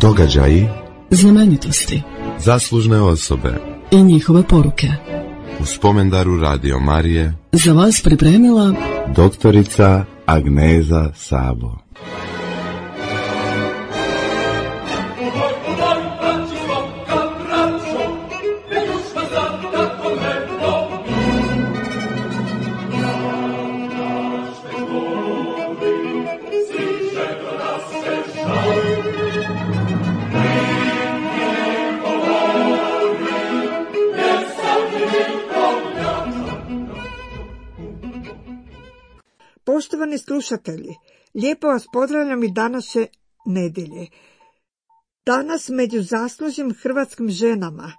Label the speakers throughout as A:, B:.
A: Događaji,
B: znamenitosti,
A: zaslužne osobe
B: i njihove poruke.
A: U spomendaru Radio Marije
B: Za vas pripremila
A: doktorica Agneza Sabo.
C: Poštovani slušatelji, lijepo vas pozdravljam i današnje nedjelje. Danas među zaslužnim hrvatskim ženama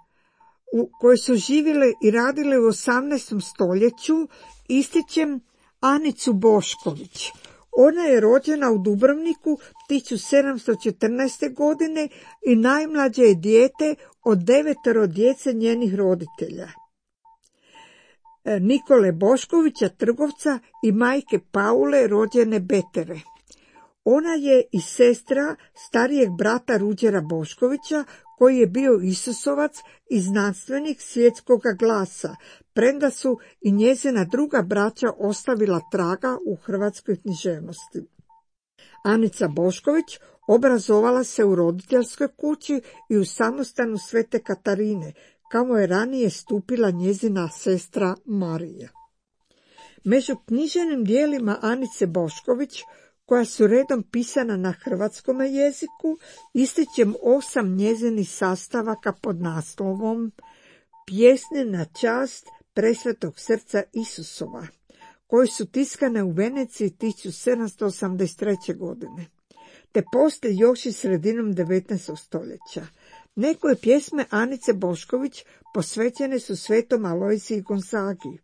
C: koje su živjele i radile u 18. stoljeću ističem Anicu Bošković. Ona je rođena u Dubrovniku 1714. godine i najmlađe je dijete od 9 djece njenih roditelja. Nikole Boškovića, trgovca, i majke Paule, rođene Betere. Ona je i sestra starijeg brata Ruđera Boškovića, koji je bio Isusovac i znanstvenik svjetskog glasa, premda su i njezina druga braća ostavila traga u hrvatskoj književnosti. Anica Bošković obrazovala se u roditeljskoj kući i u samostanu Svete Katarine, kamo je ranije stupila njezina sestra Marija. Među književnim dijelima Anice Bošković, koja su redom pisana na hrvatskom jeziku, ističem 8 njezinih sastavaka pod naslovom Pjesne na čast Presvetog srca Isusova, koje su tiskane u Veneciji 1783. godine, te poslije još i sredinom 19. stoljeća. Neke pjesme Anice Bošković posvećene su svetom Alojziji Gonzagi.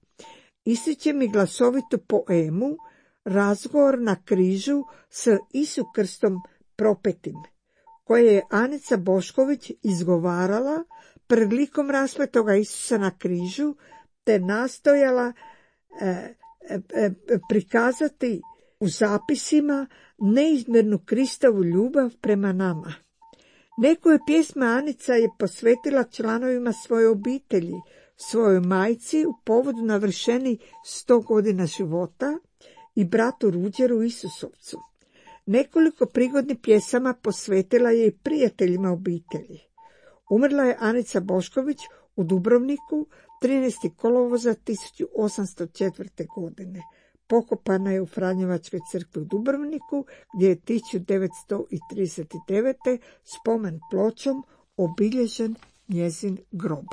C: Ističem i glasovitu poemu Razgovor na križu s Isu krstom propetim, koje je Anica Bošković izgovarala pred likom raspetoga Isusa na križu, te nastojala prikazati u zapisima neizmjernu Kristovu ljubav prema nama. Neke pjesme Anica je posvetila članovima svoje obitelji, svojoj majci u povodu navršeni 100 godina života i bratu Ruđeru Isusovcu. Nekoliko prigodnih pjesama posvetila je i prijateljima obitelji. Umrla je Anica Bošković u Dubrovniku 13. kolovoza 1804. godine. Pokopana je u Franjevačkoj crkvi u Dubrovniku, gdje je 1939. spomen pločom obilježen njezin grob.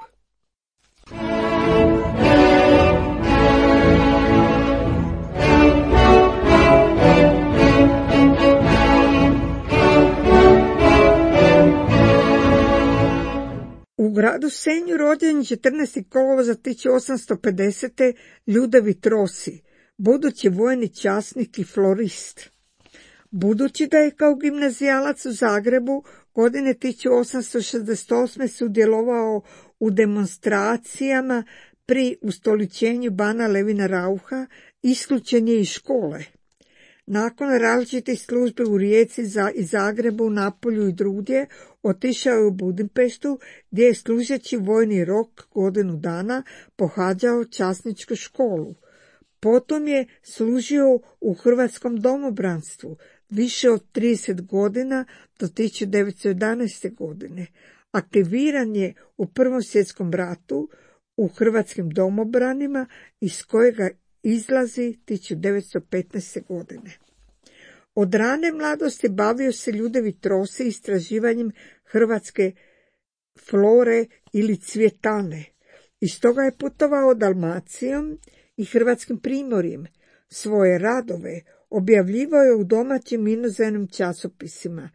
C: U gradu Senju rođen 14. kolovoza 1850. Ljudevit Rossi, budući vojni časnik i florist. Budući da je kao gimnazijalac u Zagrebu godine 1868. sudjelovao u demonstracijama pri ustoličenju bana Levina Rauha, isključen je iz škole. Nakon različitih službi u Rijeci i Zagrebu, Napolju i drugdje, otišao je u Budimpeštu, gdje je služeći vojni rok godinu dana pohađao časničku školu. Potom je služio u hrvatskom domobranstvu više od 30 godina do 1911. godine. Aktiviran je u Prvom svjetskom ratu u hrvatskim domobranima, iz kojega izlazi 1915. godine. Od rane mladosti bavio se Ljudevit Rossi istraživanjem hrvatske flore ili cvjetane. Iz toga je putovao Dalmacijom i hrvatskim primorjem. Svoje radove objavljivao je u domaćim inozemnim časopisima.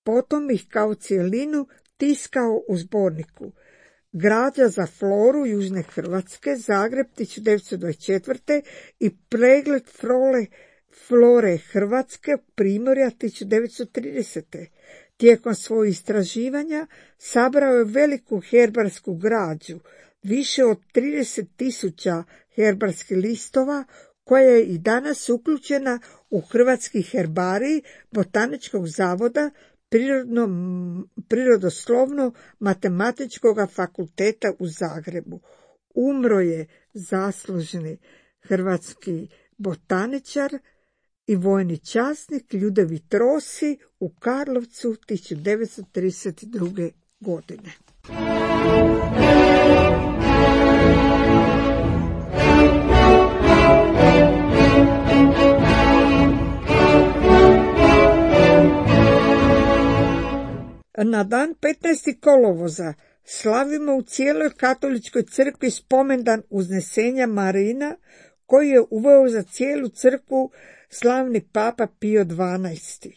C: Potom ih kao cijelinu tiskao u zborniku Građa za floru Južne Hrvatske, Zagreb 1924. i Pregled flore Hrvatske, Primorja 1930. Tijekom svojih istraživanja sabrao je veliku herbarsku građu, više od 30.000 herbarskih listova, koja je i danas uključena u Hrvatski herbarij Botaničkog zavoda Prirodoslovno-matematičkog fakulteta u Zagrebu. Umro je zaslužni hrvatski botaničar i vojni časnik Ljudevit Rossi u Karlovcu 1932. godine. Na dan 15. kolovoza slavimo u cijeloj katoličkoj crkvi spomendan uznesenja Marina, koji je uveo za cijelu crkvu slavni papa Pio XII.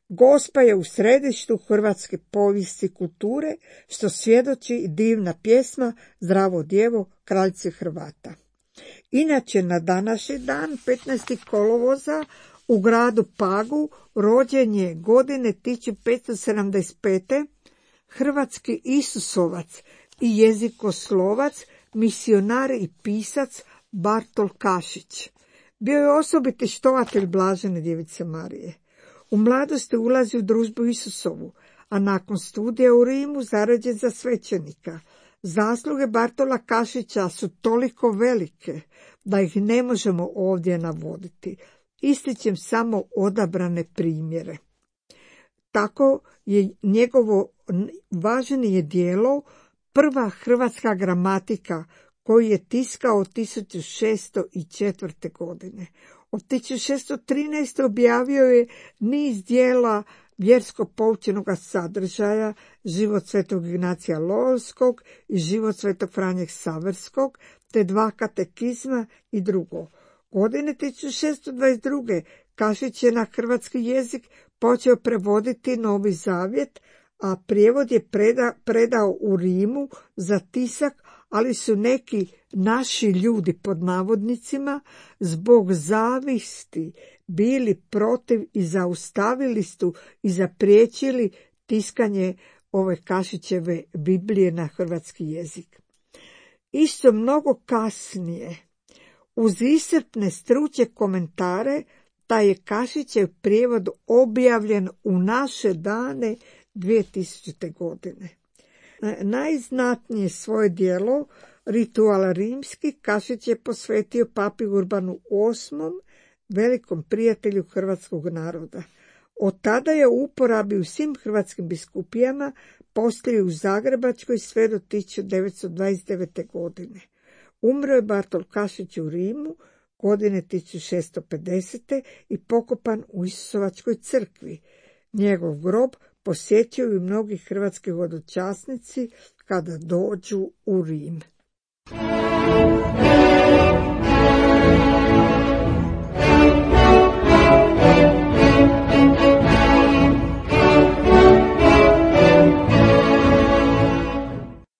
C: Gospa je u središtu hrvatske povijesti i kulture, što svjedoči i divna pjesma Zdravo djevo, kraljice Hrvata. Inače, na današnji dan, 15. kolovoza, u gradu Pagu rođen je godine 1575. hrvatski Isusovac i jezikoslovac, misionar i pisac Bartol Kašić. Bio je osobiti štovatelj Blažene djevice Marije. U mladosti ulazi u družbu Isusovu, a nakon studija u Rimu zaređen za svećenika. Zasluge Bartola Kašića su toliko velike da ih ne možemo ovdje navoditi. Ističem samo odabrane primjere. Tako je njegovo važnije djelo Prva hrvatska gramatika, koju je tiskao 1604. godine. Od 1613. objavio je niz djela vjersko-poučenog sadržaja, Život svetog Ignacija Loyolskog i Život svetog Franje Ksaverskog, te 2 katekizma i drugo. Godine 1622. Kašić je na hrvatski jezik počeo prevoditi Novi Zavjet, a prijevod je predao u Rimu za tisak, ali su neki naši ljudi pod navodnicima zbog zavisti bili protiv i zaustavili su i zapriječili tiskanje ove Kašićeve Biblije na hrvatski jezik. Isto mnogo kasnije, uz iscrpne stručne komentare, taj je Kašićev prijevod objavljen u naše dane 2000. godine. Najznatnije svoje djelo, Ritual rimski, Kašić je posvetio papi Urbanu VIII, velikom prijatelju hrvatskog naroda. Od tada je u uporabi u svim hrvatskim biskupijama, poslije u Zagrebačkoj sve do 1929. godine. Umro je Bartol Kašić u Rimu godine 1650. i pokopan u Isusovačkoj crkvi. Njegov grob posjećuju i mnogi hrvatski hodočasnici kada dođu u Rim.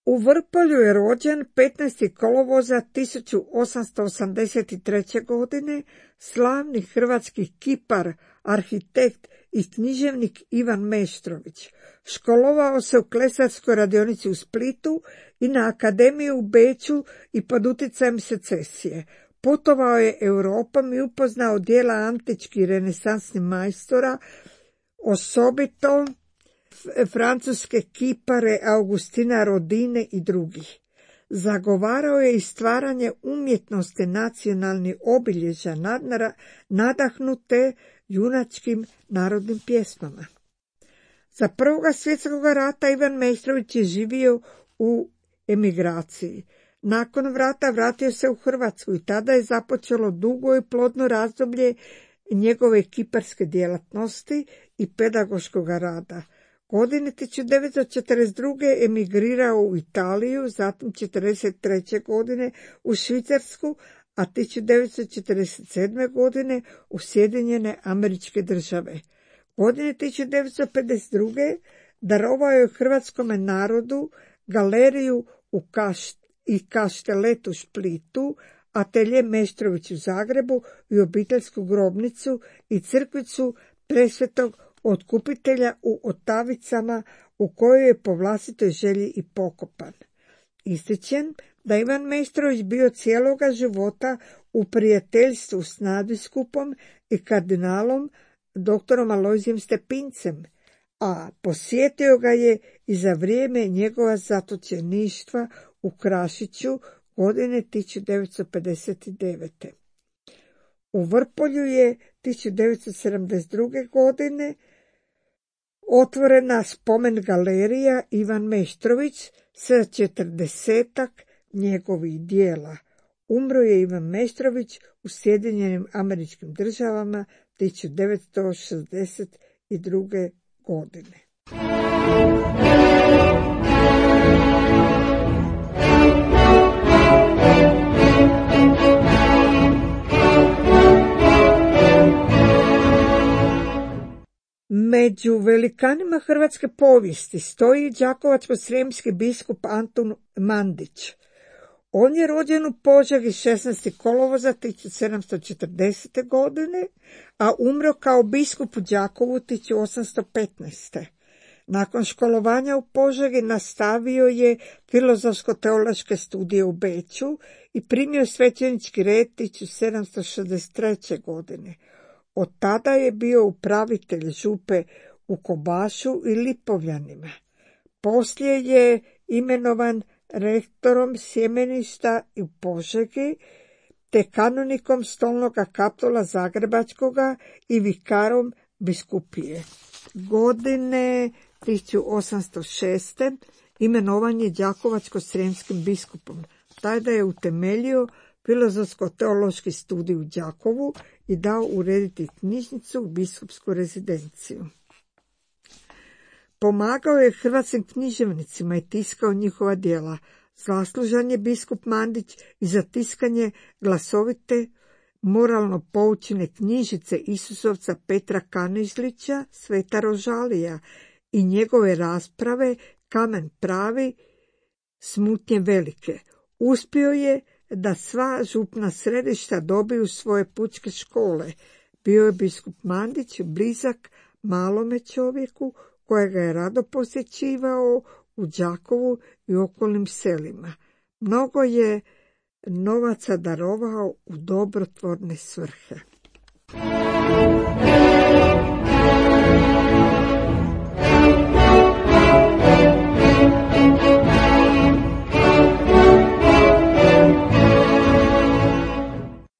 C: U Vrpolju je rođen 15. kolovoza 1883. godine slavni hrvatski kipar, arhitekt i književnik Ivan Meštrović. Školovao se u klesarskoj radionici u Splitu i na akademiju u Beču i pod utjecajem secesije. Putovao je Europom i upoznao djela antičkih i renesansnih majstora, osobito francuske kipare Augustina Rodine i drugih. Zagovarao je i stvaranje umjetnosti nacionalnih obilježja nadahnute junačkim narodnim pjesmama. Za Prvoga svjetskog rata Ivan Meštrović je živio u emigraciji. Nakon rata vratio se u Hrvatsku i tada je započelo dugo i plodno razdoblje njegove kiparske djelatnosti i pedagoškog rada. Godine 1942. emigrirao u Italiju, zatim 1943. godine u Švicarsku, a 1947. godine u Sjedinjene Američke Države. Godine 1952. darovao je hrvatskome narodu galeriju i kaštelet u Splitu, atelje Meštrović u Zagrebu i obiteljsku grobnicu i crkvicu Presvetog Otkupitelja u Otavicama, u kojoj je po vlastitoj želji i pokopan. Ističem da Ivan Meštrović bio cijeloga života u prijateljstvu s nadbiskupom i kardinalom doktorom Alojzijem Stepincem, a posjetio ga je i za vrijeme njegova zatočeništva u Krašiću godine 1959. U Vrpolju je 1972. godine otvorena spomen galerija Ivan Meštrović sa 40-ak njegovih dijela. Umro je Ivan Meštrović u Sjedinjenim Američkim Državama 1962. godine. Među velikanima hrvatske povijesti stoji đakovačko-srijemski biskup Antun Mandić. On je rođen u Požegi 16. kolovoza 1740. godine, a umro kao biskup u Đakovu 1815. Nakon školovanja u Požegi nastavio je filozofsko-teološke studije u Beču i primio svećenički red 1763. godine. Od tada je bio upravitelj župe u Kobašu i Lipovljanima. Poslije je imenovan rektorom sjemeništa u Požegi, te kanonikom Stolnoga Kaptola Zagrebačkoga i vikarom biskupije. Godine 1806. imenovan je đakovačko-srijemskim biskupom. Tada je utemeljio filozofsko-teološki studij u Đakovu i dao urediti knjižnicu u biskupsku rezidenciju. Pomagao je hrvatskim književnicima i tiskao njihova djela. Zaslužan je biskup Mandić i za tiskanje glasovite moralno poučene knjižice Isusovca Petra Kanižlića, Sveta Rožalija i njegove rasprave Kamen pravi, Smutnje velike. Uspio je da sva župna središta dobiju svoje pučke škole. Bio je biskup Mandić blizak malome čovjeku kojega je rado posjećivao u Đakovu i okolnim selima. Mnogo je novaca darovao u dobrotvorne svrhe.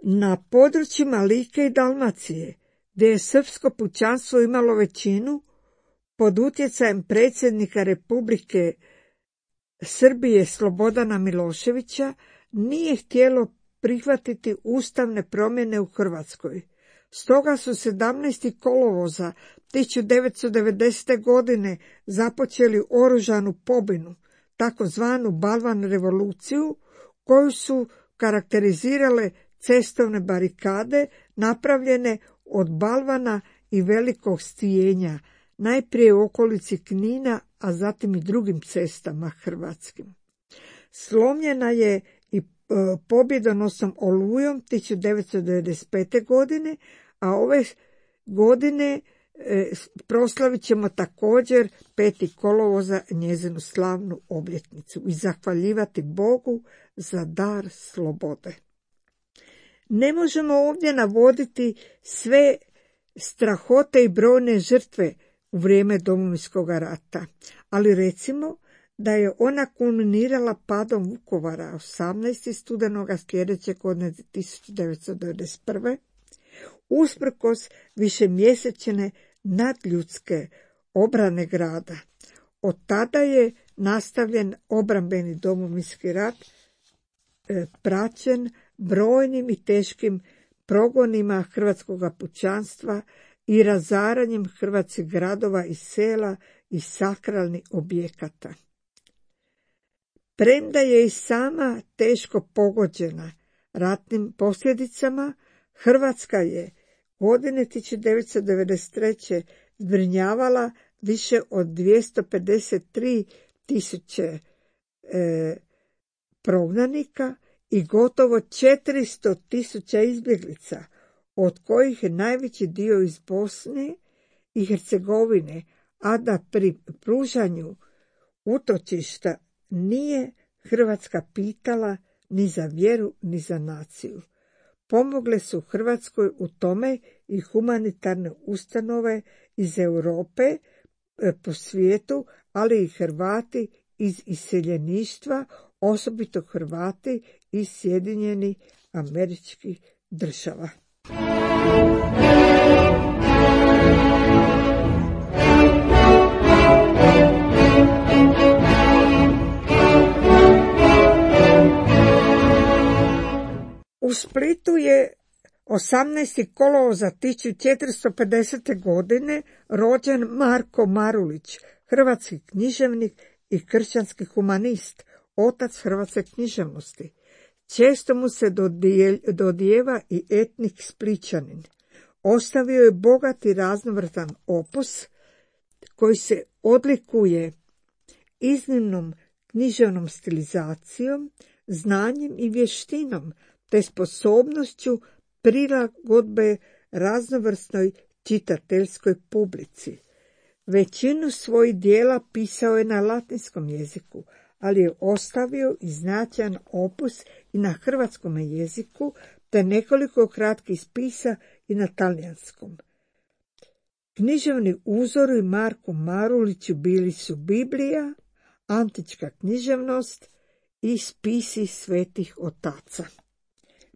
C: Na područjima Like i Dalmacije, gdje je srpsko pučanstvo imalo većinu, pod utjecajem predsjednika Republike Srbije Slobodana Miloševića, nije htjelo prihvatiti ustavne promjene u Hrvatskoj. Stoga su 17. kolovoza 1990. godine započeli oružanu pobunu, takozvanu Balvan revoluciju, koju su karakterizirale cestovne barikade napravljene od balvana i velikog stijenja, najprije u okolici Knina, a zatim i drugim cestama hrvatskim. Slomljena je i pobjedonosnom Olujom 1995. godine, a ove godine proslavit ćemo također 5. kolovoza njezinu slavnu obljetnicu i zahvaljivati Bogu za dar slobode. Ne možemo ovdje navoditi sve strahote i brojne žrtve u vrijeme Domovinskog rata, ali recimo da je ona kulminirala padom Vukovara 18. studenoga sljedeće godine 1991. usprkos višemjesečne nadljudske obrane grada. Od tada je nastavljen obrambeni Domovinski rat, praćen brojnim i teškim progonima hrvatskog pučanstva i razaranjem hrvatskih gradova i sela i sakralnih objekata. Premda je i sama teško pogođena ratnim posljedicama, Hrvatska je godine 1993. zbrinjavala više od 253.000 prognanika i gotovo 400.000 izbjeglica, od kojih je najveći dio iz Bosne i Hercegovine, a da pri pružanju utočišta nije Hrvatska pitala ni za vjeru ni za naciju. Pomogle su Hrvatskoj u tome i humanitarne ustanove iz Europe, po svijetu, ali i Hrvati iz iseljeništva, osobito Hrvati iz Sjedinjenih Američkih Država. U Splitu je 18. kolovoza 1450. godine rođen Marko Marulić, hrvatski književnik i kršćanski humanist, otac hrvatske književnosti. Često mu se dodijeva i etnik Splićanin. Ostavio je bogat i raznovratan opus koji se odlikuje iznimnom književnom stilizacijom, znanjem i vještinom, te sposobnošću prilagodbe raznovrsnoj čitateljskoj publici. Većinu svojih dijela pisao je na latinskom jeziku, ali je ostavio i značajan opus i na hrvatskom jeziku, te nekoliko kratkih spisa i na talijanskom. Književni uzori Marku Maruliću bili su Biblija, antička književnost i spisi svetih otaca.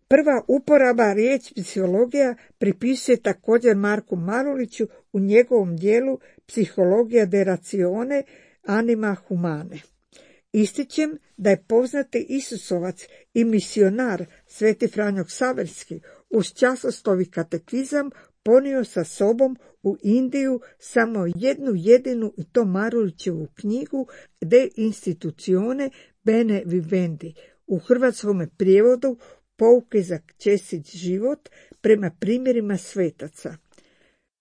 C: Prva uporaba riječi psihologija pripisuje također Marku Maruliću u njegovom dijelu Psihologija de ratione anima humane. Ističem da je poznati Isusovac i misionar Sveti Franjo Ksaverski uz časoslovi katekizam ponio sa sobom u Indiju samo jednu jedinu i to Marulićevu knjigu De institutione bene vivendi, u hrvatskom prijevodu Pouke za čestit život prema primjerima svetaca.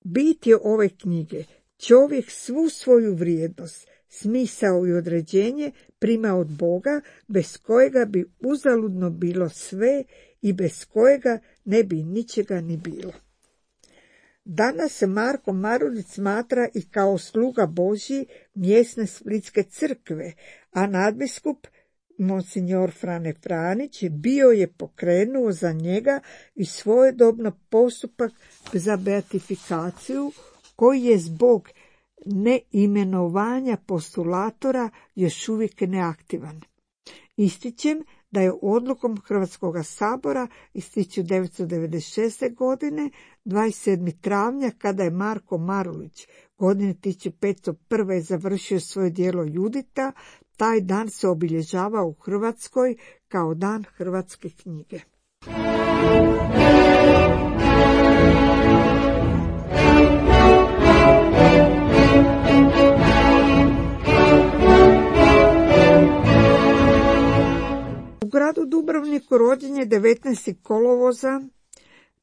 C: Bit je ove knjige: čovjek svu svoju vrijednost, smisao i određenje prima od Boga, bez kojega bi uzaludno bilo sve i bez kojega ne bi ničega ni bilo. Danas se Marko Marulić smatra i kao sluga Božji mjesne Splitske crkve, a nadbiskup Monsignor Frane Franić bio je pokrenuo za njega i svojedobno postupak za beatifikaciju, koji je zbog neimenovanja postulatora još uvijek neaktivan. Ističem da je odlukom Hrvatskog sabora iz 1996. godine 27. travnja, kada je Marko Marulić godine 1501. završio svoje djelo Judita, taj dan se obilježava u Hrvatskoj kao Dan hrvatske knjige. U gradu Dubrovniku rođen je 19. kolovoza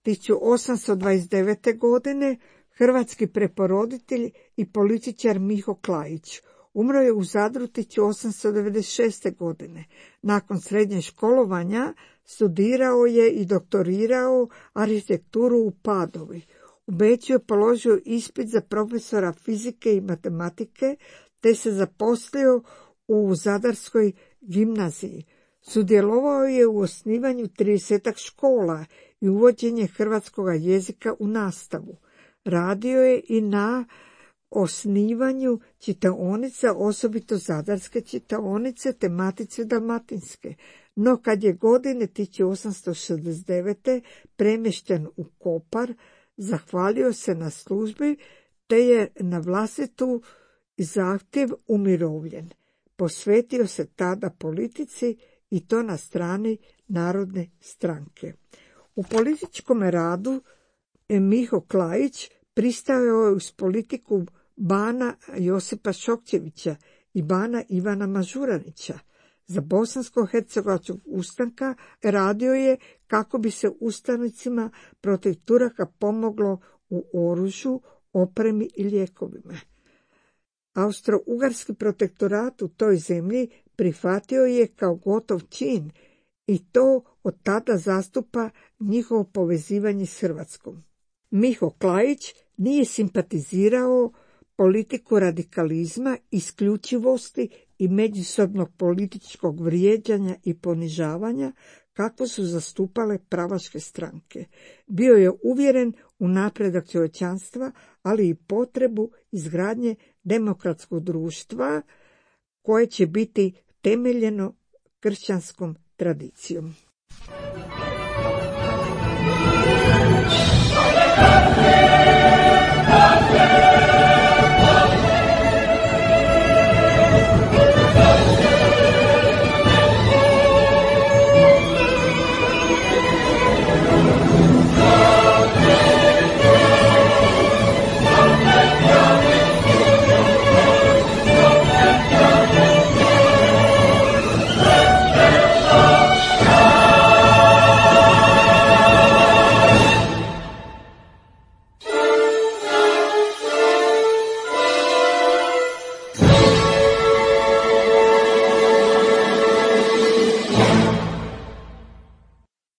C: 1829. godine hrvatski preporoditelj i političar Miho Klaić. Umro je u Zadru 1896. godine. Nakon srednje školovanja studirao je i doktorirao arhitekturu u Padovi. U Beču je položio ispit za profesora fizike i matematike, te se zaposlio u Zadarskoj gimnaziji. Sudjelovao je u osnivanju 30 škola i uvođenje hrvatskog jezika u nastavu. Radio je i na osnivanju čitaonica, osobito Zadarske čitaonice te Matice dalmatinske. No kad je godine 1869. premješten u Kopar, zahvalio se na službi te je na vlastitu zahtjev umirovljen. Posvetio se tada politici i to na strani Narodne stranke. U političkom radu Miho Klaić pristajao je uz politiku bana Josipa Šokčevića i bana Ivana Mažuranića. Za bosansko-hercegovačkog ustanka radio je kako bi se ustanicima protiv Turaka pomoglo u oružju, opremi i lijekovima. Austro-ugarski protektorat u toj zemlji prihvatio je kao gotov čin i to od tada zastupa njihovo povezivanje s Hrvatskom. Miho Klaić nije simpatizirao politiku radikalizma, isključivosti i međusobnog političkog vrijeđanja i ponižavanja kako su zastupale pravaške stranke. Bio je uvjeren u napredak čovječanstva, ali i potrebu izgradnje demokratskog društva koje će biti temeljeno kršćanskom tradicijom.